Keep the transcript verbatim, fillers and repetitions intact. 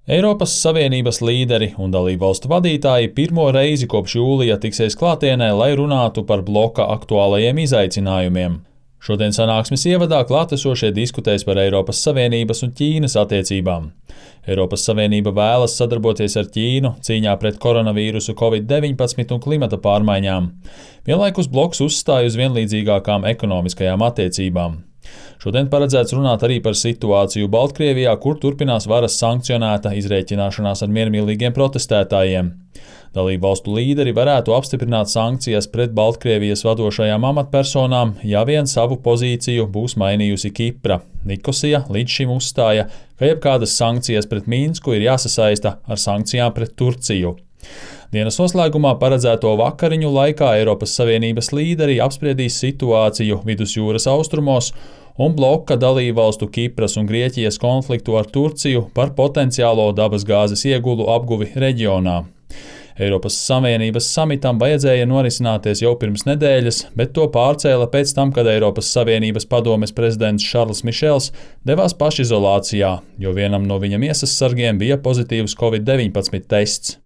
Eiropas Savienības līderi un dalībvalstu vadītāji pirmo reizi kopš jūlija tiksies klātienē, lai runātu par bloka aktuālajiem izaicinājumiem. Šodien sanāksmes ievadā klātesošie diskutēs par Eiropas Savienības un Ķīnas attiecībām. Eiropas Savienība vēlas sadarboties ar Ķīnu cīņā pret koronavīrusu covid deviņpadsmit un klimata pārmaiņām. Vienlaikus bloks uzstāj uz vienlīdzīgākām ekonomiskajām attiecībām. Šodien paredzēts runāt arī par situāciju Baltkrievijā, kur turpinās varas sankcionēta izrēķināšanās ar miermīlīgiem protestētājiem. Dalībvalstu līderi varētu apstiprināt sankcijas pret Baltkrievijas vadošajām amatpersonām, ja vien savu pozīciju būs mainījusi Kipra. Nikosija līdz šim uzstāja, ka jebkādas sankcijas pret Minsku ir jāsasaista ar sankcijām pret Turciju. Dienas noslēgumā paredzēto vakariņu laikā Eiropas Savienības līderi apspriedīs situāciju Vidusjūras austrumos un bloka dalībvalstu Kipras un Grieķijas konfliktu ar Turciju par potenciālo dabasgāzes iegulu apguvi reģionā. Eiropas Savienības samitam vajadzēja norisināties jau pirms nedēļas, bet to pārcēla pēc tam, kad Eiropas Savienības padomes prezidents Šarls Mišels devās pašizolācijā, jo vienam no viņa miesas sargiem bija pozitīvs covid deviņpadsmit tests.